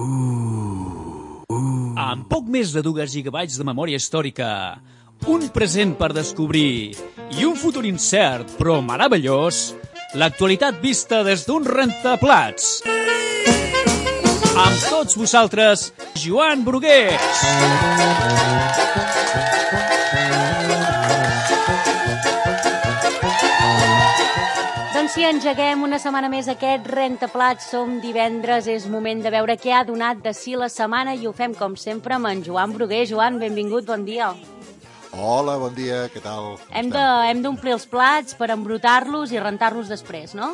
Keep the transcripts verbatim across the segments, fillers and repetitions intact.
Uh, uh. Amb poc més de dos gigabytes de memòria històrica, un present per descobrir i un futur incert però meravellós, l'actualitat vista des d'un rentaplats. Amb tots vosaltres, Joan Brugués. Doncs si engeguem una setmana més aquest rentaplats, som divendres, és moment de veure què ha donat de si la setmana i ho fem com sempre amb en Joan Brugués. Joan, benvingut, bon dia. Hola, bon dia, què tal? Hem de, hem d'omplir els plats per embrutar-los i rentar-los després, no?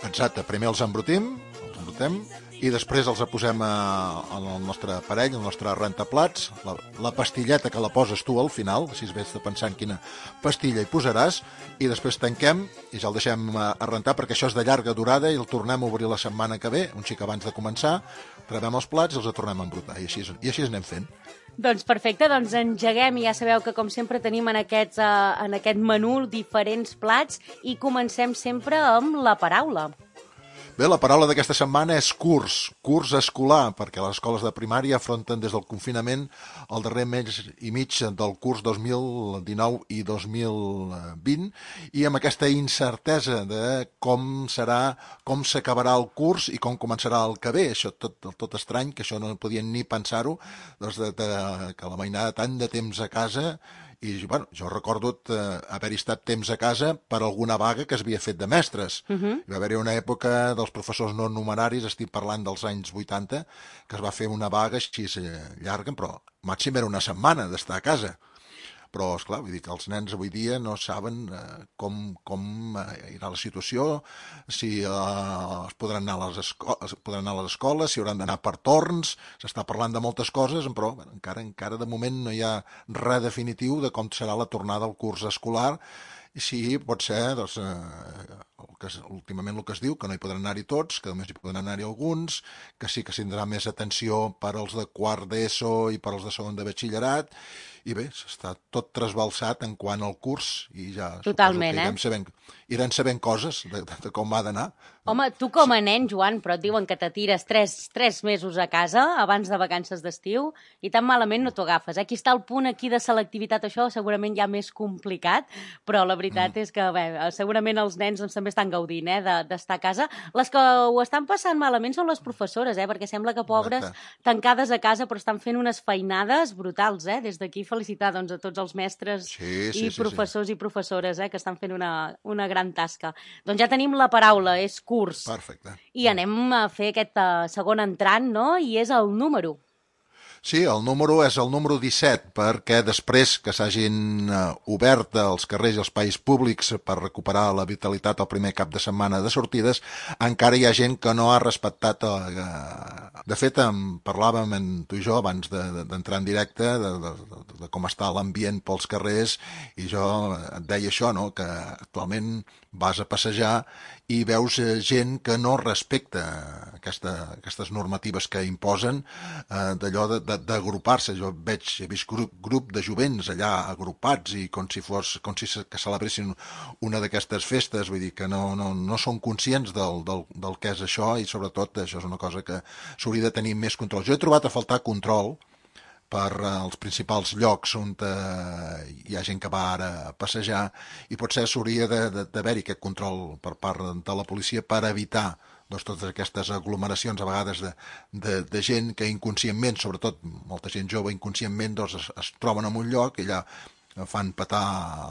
Exacte, primer els embrutim, els embrutem, i després els posem al nostre aparell, al nostre rentaplats, la, la pastilleta que la poses tu al final, així ves de pensar en quina pastilla hi posaràs, i després tanquem i ja el deixem a rentar perquè això és de llarga durada i el tornem a obrir la setmana que ve, un xic abans de començar, trebem els plats i els tornem a embrutar, i així, i així anem fent. Doncs perfecte, doncs engeguem i ja sabeu que com sempre tenim en, aquests, uh, en aquest menú diferents plats i comencem sempre amb la paraula. Bé, la paraula d'aquesta setmana és curs, curs escolar, perquè les escoles de primària afronten des del confinament el darrer mes i mig del curs dos mil dinou i dos mil vint, i amb aquesta incertesa de com serà, com s'acabarà el curs i com començarà el que ve. Això tot, tot estrany, que això no podien ni pensar-ho, doncs de, de, que la mainada tant de temps a casa. I bueno, jo recordo eh, haver-hi estat temps a casa per alguna vaga que es havia fet de mestres. Uh-huh. Hi va haver-hi una època dels professors no numeraris, estic parlant dels anys vuitanta, que es va fer una vaga així llarga, però màxim era una setmana d'estar a casa. Però, esclar, vull dir que els nens avui dia no saben eh, com, com eh, irà la situació, si eh, es podran anar a les escoles, podran anar a les escoles, si hauran d'anar per torns, s'està parlant de moltes coses, però bueno, encara, encara de moment no hi ha res definitiu de com serà la tornada al curs escolar, i sí, pot ser, doncs, eh, el que, últimament el que es diu, que no hi podran anar-hi tots, que només hi podran anar-hi alguns, que sí que s'indrà més atenció per als de quart d'ESO i per als de segon de batxillerat, i bé, està tot trasbalsat en quant al curs i ja Totalment, irem eh? sabent, irem sabent coses de, de, de com ha d'anar. Home, tu com a nen, Joan, però et diuen que t'atires tres, tres mesos a casa abans de vacances d'estiu i tan malament no t'ho agafes. Aquí està el punt aquí de selectivitat, això segurament ja més complicat, però la veritat mm. és que bé, segurament els nens doncs, també estan gaudint eh, d'estar a casa. Les que ho estan passant malament són les professores, eh, perquè sembla que pobres Correcte. Tancades a casa però estan fent unes feinades brutals. Eh? Des d'aquí felicitar doncs, a tots els mestres sí, sí, i professors sí, sí. i professores eh, que estan fent una, una gran tasca. Doncs ja tenim la paraula, és curs. Perfecte. I anem a fer aquest uh, segon entrant, no? I és el número. Sí, el número és el número disset, perquè després que s'hagin uh, obert els carrers i els espais públics per recuperar la vitalitat el primer cap de setmana de sortides, encara hi ha gent que no ha respectat... Uh, de fet, en parlàvem en tu i jo abans d'entrar de, de, en directe de, de, de, de com està l'ambient pels carrers, i jo et deia això, no? Que actualment vas a passejar i veus gent que no respecta aquesta, aquestes normatives que imposen, eh, d'allò d'agrupar-se. Jo veig, he vist grup, grup de jovents allà agrupats i com si fos com si que celebressin una d'aquestes festes, vull dir que no, no, no són conscients del, del, del que és això, i sobretot això és una cosa que s'hauria de tenir més control. Jo he trobat a faltar control per als principals llocs on eh, hi ha gent que va ara a passejar, i potser s'hauria d'haver-hi aquest control per part de la policia per evitar doncs, totes aquestes aglomeracions a vegades de, de, de gent que inconscientment, sobretot molta gent jove inconscientment, doncs es, es troben en un lloc i allà fan petar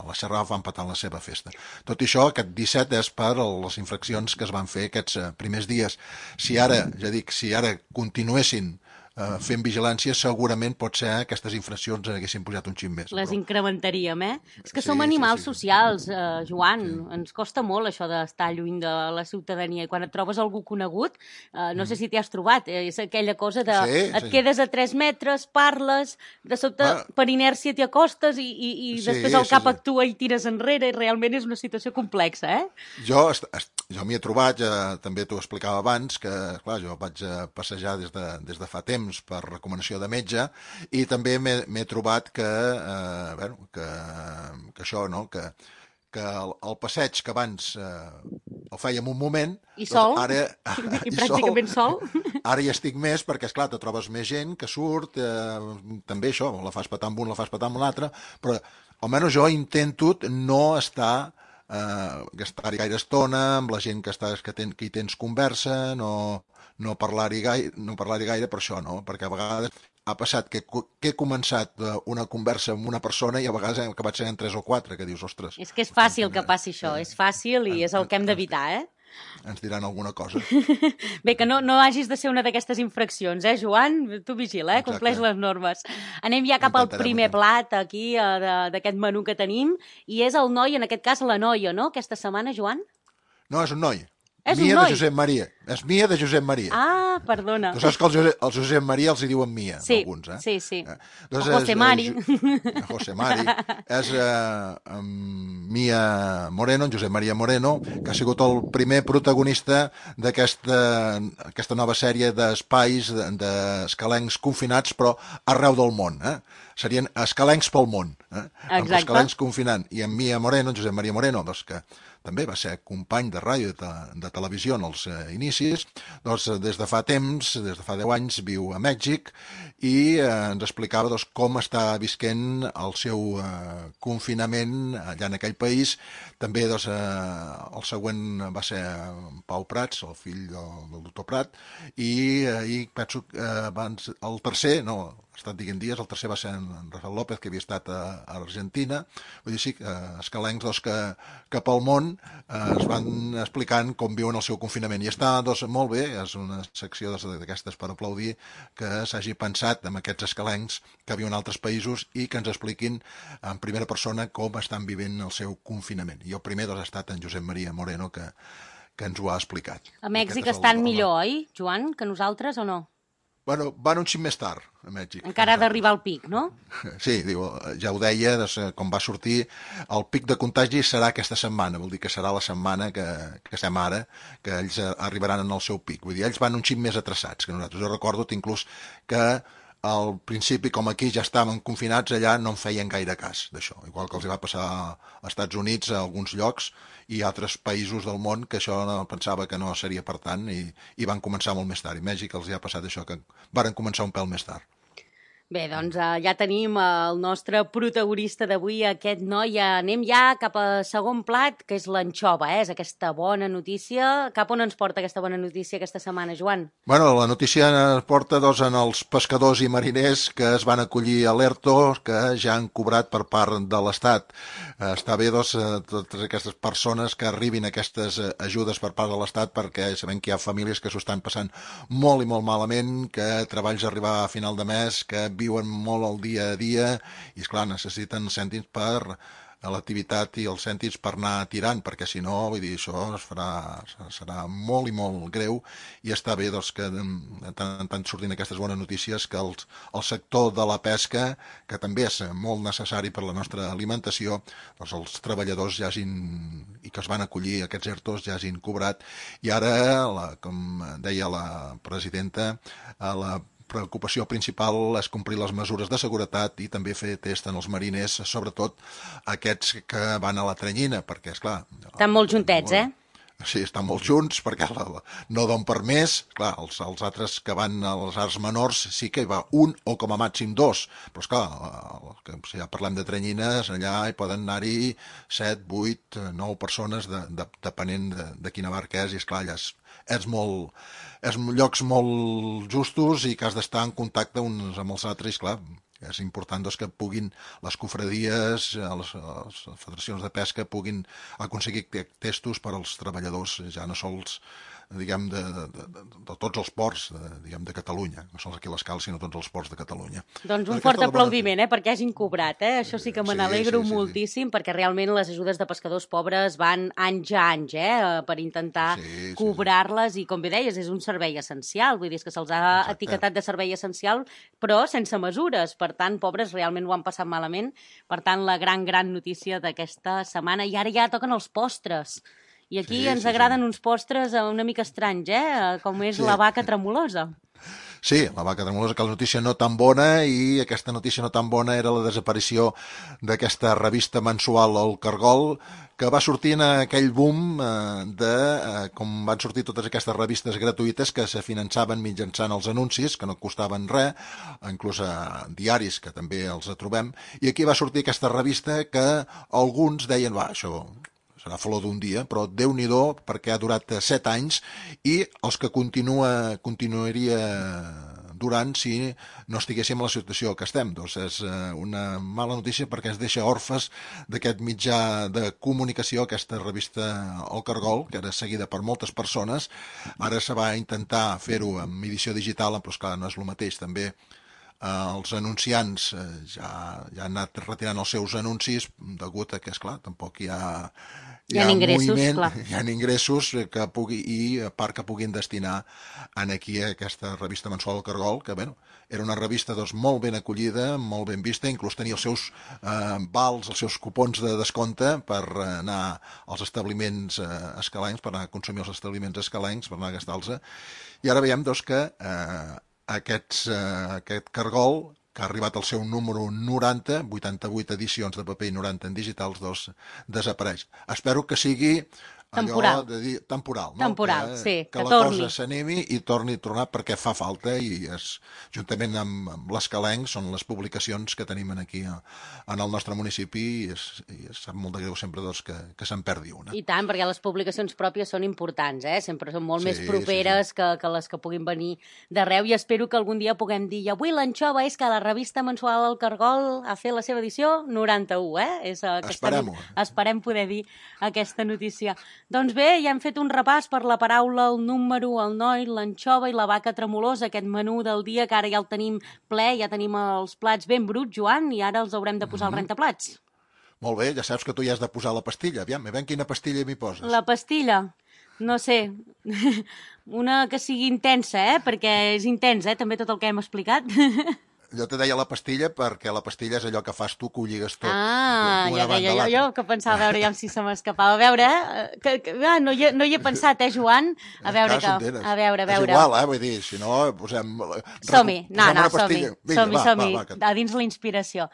la xerrada, fan petar la seva festa. Tot i això, aquest disset és per les infraccions que es van fer aquests primers dies. Si ara, ja dic, si ara continuessin Uh, fent vigilància, segurament pot ser aquestes infraccions haguessin pujat un xic més. Les però... incrementaríem, eh? És que sí, som animals sí, sí. socials, uh, Joan. Sí. Ens costa molt això d'estar lluny de la ciutadania. I quan et trobes algú conegut, uh, no mm. sé si t'hi has trobat, eh? És aquella cosa de sí, et sí. quedes a tres metres, parles, de sobte ah. per inèrcia t'hi acostes i, i, i sí, després el cap sí, sí. actua i tires enrere, i realment és una situació complexa, eh? Jo, jo m'hi he trobat, ja, també t'ho explicava abans, que clar, jo vaig passejar des de, des de fa temps per recomanació de metge, i també m'he trobat que, eh, bueno, que, que això, no? que, que el, el passeig que abans eh, el fèiem un moment. I sol, doncs ara, i, i pràcticament sol. Ara hi estic més perquè, esclar, te trobes més gent que surt, eh, també això, la fas petar amb un, la fas petar amb l'altre, però almenys jo intento no estar, eh, gastar-hi gaire estona amb la gent que, estàs, que, ten, que hi tens conversa, no, no parlar-hi gaire, no parlar-hi gaire per això, no? Perquè a vegades ha passat que, que he començat una conversa amb una persona i a vegades he acabat sent tres o quatre, que dius, ostres... És que és fàcil que passi això, és fàcil i és el que hem d'evitar, eh? Ens diran alguna cosa. Bé, que no, no hagis de ser una d'aquestes infraccions, eh, Joan? Tu vigila, eh? Compleix les normes. Anem ja cap al primer plat aquí d'aquest menú que tenim, i és el noi, en aquest cas la noia, no?, aquesta setmana, Joan? No, és un noi. És Mia un noi. de Josep Maria. És Mia de Josep Maria. Ah, perdona. Tu saps que el Josep, el Josep Maria els hi diuen Mia, sí, alguns, eh? Sí, sí, eh? Doncs o José és, Mari. Eh, José Mari. És eh, um, Mia Moreno, en Josep Maria Moreno, que ha sigut el primer protagonista d'aquesta aquesta nova sèrie d'espais d'escalencs confinats, però arreu del món, eh? Serien escalencs pel món, eh? Amb escalencs confinant. I en Mia Moreno, en Josep Maria Moreno, doncs que també va ser company de ràdio i de, de televisió en els eh, inicis, doncs des de fa temps, des de fa deu anys, viu a Mèxic i eh, ens explicava doncs, com està visquent el seu eh, confinament allà en aquell país. També doncs, eh, el següent va ser Pau Prats, el fill del, del doctor Prat, i, eh, i penso que eh, abans, el tercer, no, ha estat diguent dies, el tercer va ser en Rafael López, que havia estat a, a Argentina. Vull dir, sí, eh, escalencs doncs, que, que pel món eh, es van explicant com viuen el seu confinament. I està doncs, molt bé, és una secció d'aquestes per aplaudir, que s'hagi pensat en aquests escalencs que viuen en altres països i que ens expliquin en primera persona com estan vivint el seu confinament. I el primer doncs, ha estat en Josep Maria Moreno, que, que ens ho ha explicat. A Mèxic estan el, millor, oi, Joan, que nosaltres o no? Bueno, van un xic més tard, a Mèxic. Encara ha d'arribar al pic, no? Sí, diu, ja ho deia, doncs, com va sortir, el pic de contagi serà aquesta setmana, vol dir que serà la setmana que, que estem ara, que ells arribaran en el seu pic. Vull dir, ells van un xic més atrasats que nosaltres. Jo recordo inclús que al principi, com aquí ja estaven confinats, allà no en feien gaire cas d'això. Igual que els va passar als Estats Units, a alguns llocs, i altres països del món que això no, pensava que no seria per tant i, i van començar molt més tard. I Mèxic els hi ha passat això, que varen començar un pèl més tard. Bé, doncs uh, ja tenim el nostre protagonista d'avui, aquest noi. Anem ja cap al segon plat, que és l'anxova, eh? És aquesta bona notícia. Cap on ens porta aquesta bona notícia aquesta setmana, Joan? Bueno, la notícia ens porta doncs, en els pescadors i mariners que es van acollir a l'ERTO, que ja han cobrat per part de l'Estat. Eh, està bé, doncs, totes aquestes persones que arribin aquestes ajudes per part de l'Estat, perquè sabem que hi ha famílies que s'ho estan passant molt i molt malament, que treballs a arribar a final de mes, que viuen molt el dia a dia i, esclar, necessiten cèntims per a l'activitat i els cèntims per anar tirant, perquè si no, vull dir, això es farà, serà molt i molt greu i està bé doncs, que tant, tant sortint aquestes bones notícies que el, el sector de la pesca, que també és molt necessari per la nostra alimentació, doncs els treballadors ja hagin, i que es van acollir aquests ERTOs ja hagin cobrat i ara, la, com deia la presidenta, a la preocupació principal és complir les mesures de seguretat i també fer test en els mariners, sobretot aquests que van a la Tranyina, perquè, esclar... Estan molt juntets, eh? Sí, estan molt junts, perquè la, la, no don per més. Clar, els, els altres que van als arts menors sí que hi va un o com a màxim dos, però, esclar, que, si ja parlem de Tranyines, allà hi poden anar-hi set, vuit, nou persones, de, de, depenent de, de quina barca és, i, esclar, allà és, és molt... és llocs molt justos i que has d'estar en contacte uns amb els altres, i, clar, és important doncs, que puguin les cofradies, les, les federacions de pesca puguin aconseguir testos per als treballadors, ja no sols diguem, de, de, de, de tots els ports de, diguem, de Catalunya, no sols aquí a l'Escal, sinó tots els ports de Catalunya. Doncs un fort aplaudiment, eh, perquè hagin cobrat, eh? Això sí que me n'alegro sí, sí, moltíssim, sí. Perquè realment les ajudes de pescadors pobres van anys a anys, eh, per intentar sí, sí, cobrar-les, sí. I com bé deies, és un servei essencial, vull dir que se'ls ha Exacte. Etiquetat de servei essencial, però sense mesures, per tant, pobres realment ho han passat malament, per tant, la gran, gran notícia d'aquesta setmana, i ara ja toquen els postres. I aquí sí, ens sí, agraden sí. Uns postres una mica estranys, eh? Com és sí. La vaca tremolosa. Sí, la vaca tremolosa, que la notícia no tan bona, i aquesta notícia no tan bona era la desaparició d'aquesta revista mensual El Cargol, que va sortir en aquell boom eh, de eh, com van sortir totes aquestes revistes gratuïtes que se finançaven mitjançant els anuncis, que no costaven res, inclús a diaris, que també els trobem, i aquí va sortir aquesta revista que alguns deien, va, això serà flor d'un dia, però Déu-n'hi-do, perquè ha durat set anys, i els que continua, continuaria durant si no estiguéssim en la situació que estem. Doncs és una mala notícia perquè ens deixa orfes d'aquest mitjà de comunicació, aquesta revista El Cargol, que era seguida per moltes persones. Ara se va intentar fer-ho en edició digital, però esclar, no és el mateix. També eh, els anunciants eh, ja, ja han anat retirant els seus anuncis degut a que, esclar, tampoc hi ha... Hi ha, hi ha ingressos, moviment, clar. Hi ha ingressos que pugui, i a part que puguin destinar en aquí aquesta revista mensual El Cargol, que bueno, era una revista doncs, molt ben acollida, molt ben vista, inclús tenia els seus eh, vals, els seus cupons de descompte per anar als establiments eh, escalencs, per anar a consumir els establiments escalencs, per anar a gastar-los. I ara veiem doncs, que eh, aquests, eh, aquest Cargol, que ha arribat al seu número noranta, vuitanta-vuit edicions de paper i noranta en digitals, doncs desapareix. Espero que sigui temporal, allò de dir, temporal, no? Temporal, que, sí, que, que la torni. cosa s'animi i torni a tornar perquè fa falta, i és, juntament amb, amb l'Escalenc són les publicacions que tenim aquí a, en el nostre municipi, i, és, i és sap molt de greu sempre doncs, que, que se'n perdi una. I tant, perquè les publicacions pròpies són importants, eh? Sempre són molt Sí, més properes sí, sí. Que, que les que puguin venir d'arreu, i espero que algun dia puguem dir, i avui l'anxova és que la revista mensual El Cargol ha fet la seva edició noranta-u, eh? És, eh que Esperem-ho. estem, esperem poder dir aquesta notícia. Doncs bé, ja hem fet un repàs per la paraula, el número, el noi, l'anxova i la vaca tremolosa, aquest menú del dia que ara ja el tenim ple, ja tenim els plats ben bruts, Joan, i ara els haurem de posar al rentaplats. Molt bé, ja saps que tu hi has de posar la pastilla. Aviam, aviam quina pastilla m'hi poses. La pastilla? No sé, una que sigui intensa, eh? Perquè és intens, eh? També tot el que hem explicat. Jo te deia la pastilla perquè la pastilla és allò que fas tu, que ho lligues tot. Ah, ja deia jo, jo que pensava, a veure, ja si se m'escapava. A veure, eh? Que, que, ah, no, hi, no hi he pensat, eh, Joan? A veure, que, a veure, a veure. És igual, eh, vull dir, si no, posem... Som-hi, no, no, som-hi, som-hi, som-hi, que... a dins la inspiració.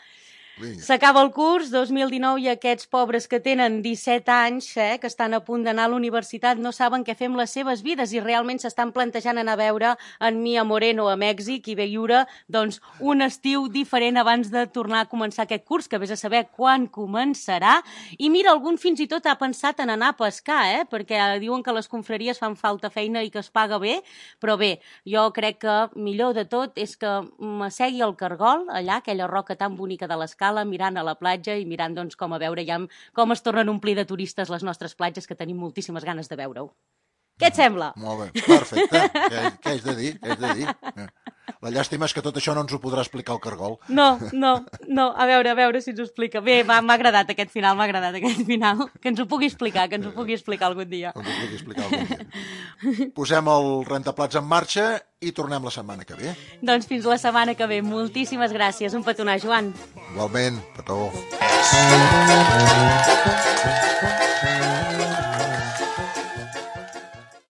S'acaba el curs dos mil dinou i aquests pobres que tenen disset anys, eh, que estan a punt d'anar a la universitat, no saben què fer amb les seves vides i realment s'estan plantejant anar a veure en Mia Moreno a Mèxic i viure doncs, un estiu diferent abans de tornar a començar aquest curs, que vés a saber quan començarà. I mira, algun fins i tot ha pensat en anar a pescar, eh, perquè diuen que les confraries fan falta feina i que es paga bé, però bé, jo crec que millor de tot és que m'assegui al Cargol, allà, aquella roca tan bonica de l'escala, mirant a la platja i mirant doncs, com a veure ja com es tornen a omplir de turistes les nostres platges, que tenim moltíssimes ganes de veure-ho. Què et sembla? Molt bé, perfecte. Què, què haig de dir? Què haig de dir? La llàstima és que tot això no ens ho podrà explicar el Cargol. No, no, no. A veure, a veure si ens ho explica. Bé, m'ha agradat aquest final, m'ha agradat aquest final. Que ens ho pugui explicar, que ens ho pugui explicar algun dia. Que ens ho pugui explicar algun dia. Posem el rentaplats en marxa i tornem la setmana que ve. Doncs fins la setmana que ve. Moltíssimes gràcies. Un petonar, Joan. Igualment, petó.